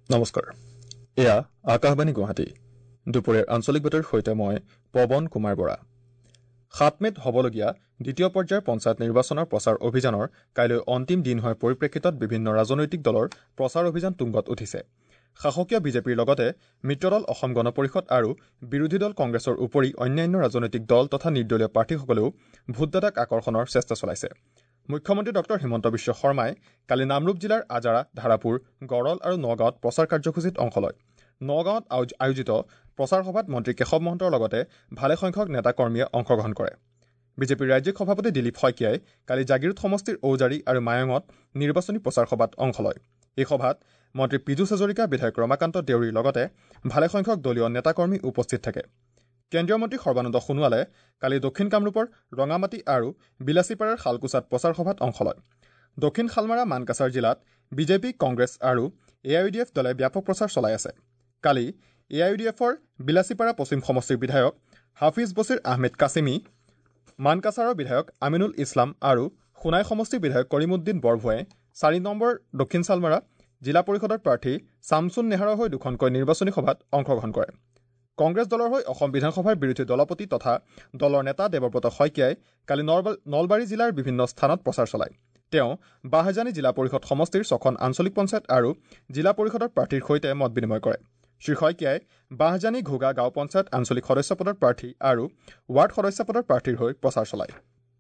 নমস্কাৰ, এয়া আকাশবাণী গুৱাহাটী। দুপৰীয়াৰ আঞ্চলিক বাতৰিৰ সৈতে মই পৱন কুমাৰ বৰা। 7 মে'ত হ'বলগীয়া দ্বিতীয় পৰ্যায়ৰ পঞ্চায়ত নিৰ্বাচনৰ প্ৰচাৰ অভিযানৰ কাইলৈ অন্তিম দিন হোৱাৰ পৰিপ্ৰেক্ষিতত বিভিন্ন ৰাজনৈতিক দলৰ প্ৰচাৰ অভিযান তুংগত উঠিছে। শাসকীয় বিজেপিৰ লগতে মিত্ৰদল অসম গণ পৰিষদ আৰু বিৰোধী দল কংগ্ৰেছৰ উপৰি অন্যান্য ৰাজনৈতিক দল তথা নিৰ্দলীয় প্ৰাৰ্থীসকলেও ভোটদাতাক আকৰ্ষণৰ চেষ্টা চলাইছে। মুখ্যমন্ত্ৰী ডক্টৰ হিমন্ত বিশ্ব শৰ্মাই কালি নামৰূপ জিলাৰ আজাৰা, ধাৰাপুৰ, গড়ল আৰু নগাঁৱত প্ৰচাৰ কাৰ্যসূচীত অংশ লয়। নগাঁৱত আয়োজিত প্ৰচাৰ সভাত মন্ত্ৰী কেশৱ মহন্তৰ লগতে ভালেসংখ্যক নেতাকৰ্মীয়ে অংশগ্ৰহণ কৰে। বিজেপিৰ ৰাজ্যিক সভাপতি দিলীপ শইকীয়াই কালি জাগিৰোড সমষ্টিৰ ঔজাৰী আৰু মায়ঙত নিৰ্বাচনী প্ৰচাৰ সভাত অংশ লয়। এই সভাত মন্ত্ৰী পীযুষ হাজৰিকা, বিধায়ক ৰমাকান্ত দেউৰীৰ লগতে ভালেসংখ্যক দলীয় নেতাকৰ্মী উপস্থিত থাকে। কেন্দ্ৰীয় মন্ত্ৰী সৰ্বানন্দ সোণোৱালে কালি দক্ষিণ কামৰূপৰ ৰঙামাটি আৰু বিলাচীপাৰাৰ শালকোচাত প্ৰচাৰ সভাত অংশ লয়। দক্ষিণ শালমাৰা মানকাছাৰ জিলাত বিজেপি, কংগ্ৰেছ আৰু এ I U D F দলে ব্যাপক প্ৰচাৰ চলাই আছে। কালি এ I U D এফৰ বিলাচীপাৰা পশ্চিম সমষ্টিৰ বিধায়ক হাফিজ বছিৰ আহমেদ কাছিমি, মানকাছাৰৰ বিধায়ক আমিনুল ইছলাম আৰু সোণাই সমষ্টিৰ বিধায়ক কৰিমুদ্দিন বৰভূঞাই 4 নম্বৰ দক্ষিণ শালমাৰা জিলা পৰিষদৰ প্ৰাৰ্থী ছামছুন নেহাৰৰ হৈ দুখনকৈ নিৰ্বাচনী সভাত অংশগ্ৰহণ কৰে। কংগ্ৰেছ দলৰ হৈ অসম বিধানসভাৰ বিৰোধী দলপতি তথা দলৰ নেতা দেৱব্ৰত শইকীয়াই কালি নলবাৰী জিলাৰ বিভিন্ন স্থানত প্ৰচাৰ চলায়। তেওঁ বাহজানী জিলা পৰিষদ সমষ্টিৰ 6খন আঞ্চলিক পঞ্চায়ত আৰু জিলা পৰিষদৰ প্ৰাৰ্থীৰ সৈতে মত বিনিময় কৰে। শ্ৰী শইকীয়াই বাহজানী ঘোগা গাঁও পঞ্চায়ত আঞ্চলিক সদস্য পদৰ প্ৰাৰ্থী আৰু ৱাৰ্ড সদস্য পদৰ প্ৰাৰ্থীৰ হৈ প্ৰচাৰ চলায়।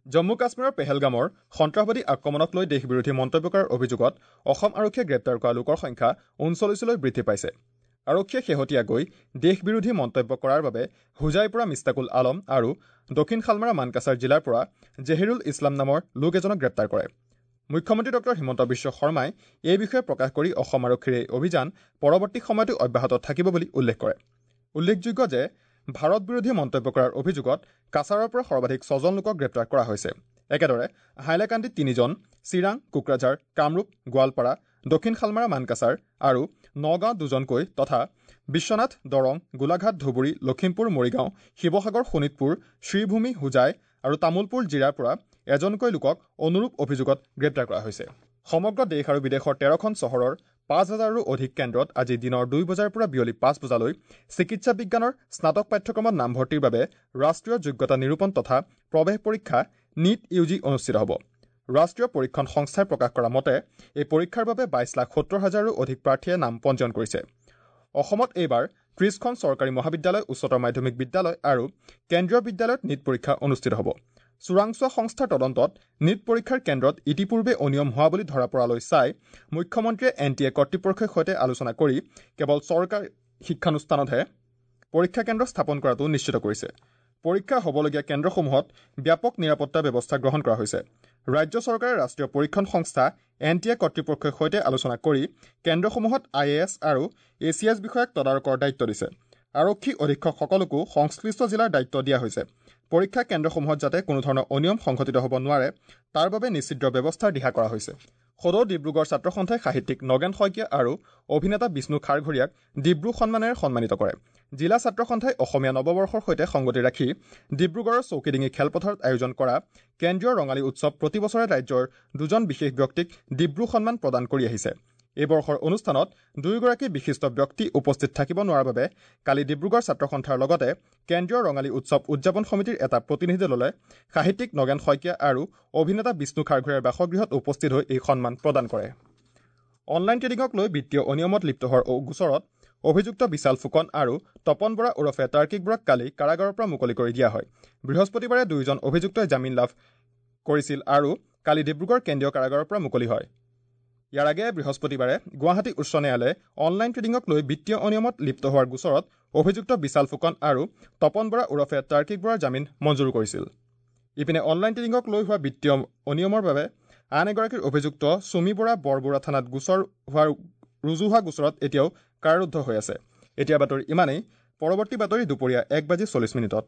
জম্মু কাশ্মীৰৰ পেহেলগামৰ সন্ত্ৰাসবাদী আক্ৰমণক লৈ দেশ বিৰোধী মন্তব্য কৰাৰ অভিযোগত অসম আৰক্ষীয়ে গ্ৰেপ্তাৰ কৰা লোকৰ সংখ্যা 39লৈ বৃদ্ধি পাইছে। আৰক্ষীয়ে শেহতীয়াকৈ দেশ বিৰোধী মন্তব্য কৰাৰ বাবে হোজাইৰ পৰা মিস্তাকুল আলম আৰু দক্ষিণ শালমাৰা মানকাছাৰ জিলাৰ পৰা জেহিৰুল ইছলাম নামৰ লোক এজনক গ্ৰেপ্তাৰ কৰে। মুখ্যমন্ত্ৰী ডক্টৰ হিমন্ত বিশ্ব শৰ্মাই এই বিষয়ে প্ৰকাশ কৰি অসম আৰক্ষীৰ এই অভিযান পৰৱৰ্তী সময়তো অব্যাহত থাকিব বুলি উল্লেখ কৰে। উল্লেখযোগ্য যে ভাৰত বিৰোধী মন্তব্য কৰাৰ অভিযোগত কাছাৰৰ পৰা সৰ্বাধিক 6জন লোকক গ্ৰেপ্তাৰ কৰা হৈছে। একেদৰে হাইলাকান্দিত 3জন, চিৰাং, কোকৰাঝাৰ, কামৰূপ, গোৱালপাৰা, দক্ষিণ শালমাৰা মানকাছাৰ আৰু নগাঁৱত 2জনকৈ তথা বিশ্বনাথ, দৰং, গোলাঘাট, ধুবুৰী, লখিমপুৰ, মৰিগাঁও, শিৱসাগৰ, শোণিতপুৰ, শ্ৰীভূমি, হোজাই আৰু তামোলপুৰ জিলাৰ পৰা এজনকৈ লোকক অনুৰূপ অভিযোগত গ্ৰেপ্তাৰ কৰা হৈছে। সমগ্ৰ দেশ আৰু বিদেশৰ 13খন চহৰৰ 5000ৰো অধিক কেন্দ্ৰত আজি দিনৰ 2 বজাৰ পৰা বিয়লি 5 বজালৈ চিকিৎসা বিজ্ঞানৰ স্নাতক পাঠ্যক্ৰমত নামভৰ্তিৰ বাবে ৰাষ্ট্ৰীয় যোগ্যতা নিৰূপণ তথা প্ৰৱেশ পৰীক্ষা নীট ইউ জি অনুষ্ঠিত হ'ব। ৰাষ্ট্ৰীয় পৰীক্ষণ সংস্থাই প্ৰকাশ কৰা মতে এই পৰীক্ষাৰ বাবে 22,70,000ৰো অধিক প্ৰাৰ্থীয়ে নাম পঞ্জীয়ন কৰিছে। অসমত এইবাৰ 30খন চৰকাৰী মহাবিদ্যালয়, উচ্চতৰ মাধ্যমিক বিদ্যালয় আৰু কেন্দ্ৰীয় বিদ্যালয়ত নীট পৰীক্ষা অনুষ্ঠিত হ'ব। চোৰাংচোৱা সংস্থাৰ তদন্তত নীট পৰীক্ষাৰ কেন্দ্ৰত ইতিপূৰ্বে অনিয়ম হোৱা বুলি ধৰা পৰালৈ চাই মুখ্যমন্ত্ৰীয়ে এন টি এ কৰ্তৃপক্ষৰ সৈতে আলোচনা কৰি কেৱল চৰকাৰী শিক্ষানুষ্ঠানতহে পৰীক্ষা কেন্দ্ৰ স্থাপন কৰাটো নিশ্চিত কৰিছে। পৰীক্ষা হ'বলগীয়া কেন্দ্ৰসমূহত ব্যাপক নিৰাপত্তা ব্যৱস্থা গ্ৰহণ কৰা হৈছে। ৰাজ্য চৰকাৰে ৰাষ্ট্ৰীয় পৰীক্ষণ সংস্থা এন টি এ কৰ্তৃপক্ষৰ সৈতে আলোচনা কৰি কেন্দ্ৰসমূহত I A S আৰু এ চি এছ বিষয়াক তদাৰকৰ দায়িত্ব দিছে। আৰক্ষী অধীক্ষকসকলকো সংশ্লিষ্ট জিলাৰ দায়িত্ব দিয়া হৈছে। পৰীক্ষা কেন্দ্ৰসমূহত যাতে কোনোধৰণৰ অনিয়ম সংঘটিত হ'ব নোৱাৰে তাৰ বাবে নিশ্চিত ব্যৱস্থাৰ দিহা কৰা হৈছে। সদৌ ডিব্ৰুগড় ছাত্ৰ সন্থাই সাহিত্যিক নগেন শইকীয়া আৰু অভিনেতা বিষ্ণু খাৰঘৰীয়াক ডিব্ৰু সন্মানেৰে সন্মানিত কৰে। জিলা ছাত্ৰ সন্থাই অসমীয়া নৱবৰ্ষৰ সৈতে সংগতি ৰাখি ডিব্ৰুগড়ৰ চৌকিডিঙি খেলপথাৰত আয়োজন কৰা কেন্দ্ৰীয় ৰঙালী উৎসৱ প্ৰতি বছৰে ৰাজ্যৰ 2জন বিশেষ ব্যক্তিক ডিব্ৰু সন্মান প্ৰদান কৰি আহিছে। এই বৰ্ষৰ অনুষ্ঠানত 2গৰাকী বিশিষ্ট ব্যক্তি উপস্থিত থাকিব নোৱাৰাৰ বাবে কালি ডিব্ৰুগড় ছাত্ৰ সন্থাৰ লগতে কেন্দ্ৰীয় ৰঙালী উৎসৱ উদযাপন সমিতিৰ এটা প্ৰতিনিধি দলে সাহিত্যিক নগেন শইকীয়া আৰু অভিনেতা বিষ্ণু খাৰঘৰীয়াৰ বাসগৃহত উপস্থিত হৈ এই সন্মান প্ৰদান কৰে। অনলাইন ট্ৰেডিঙক লৈ বিত্তীয় অনিয়মত লিপ্ত হোৱাৰ গোচৰত অভিযুক্ত বিশাল ফুকন আৰু তপন বৰা ওৰফে তাৰ্কিক বৰাক কালি কাৰাগাৰৰ পৰা মুকলি কৰি দিয়া হয়। বৃহস্পতিবাৰে 2জন অভিযুক্তই জামিন লাভ কৰিছিল আৰু কালি ডিব্ৰুগড় কেন্দ্ৰীয় কাৰাগাৰৰ পৰা মুকলি হয়। ইয়াৰ আগেয়ে বৃহস্পতিবাৰে গুৱাহাটী উচ্চ ন্যায়ালয়ে অনলাইন ট্ৰেডিঙক লৈ বিত্তীয় অনিয়মত লিপ্ত হোৱাৰ গোচৰত অভিযুক্ত বিশাল ফুকন আৰু তপন বৰা ওৰফে তাৰ্কিক বৰাৰ জামিন মঞ্জুৰ কৰিছিল। ইপিনে অনলাইন ট্ৰেডিঙক লৈ হোৱা বিত্তীয় অনিয়মৰ বাবে আন এগৰাকীৰ অভিযুক্ত চুমি বৰা বৰবৰা থানাত গোচৰ হোৱাৰ ৰুজু হোৱা গোচৰত এতিয়াও কাৰাৰুদ্ধ হৈ আছে। এতিয়া বাতৰি ইমানেই। পৰৱৰ্তী বাতৰি দুপৰীয়া 1:40।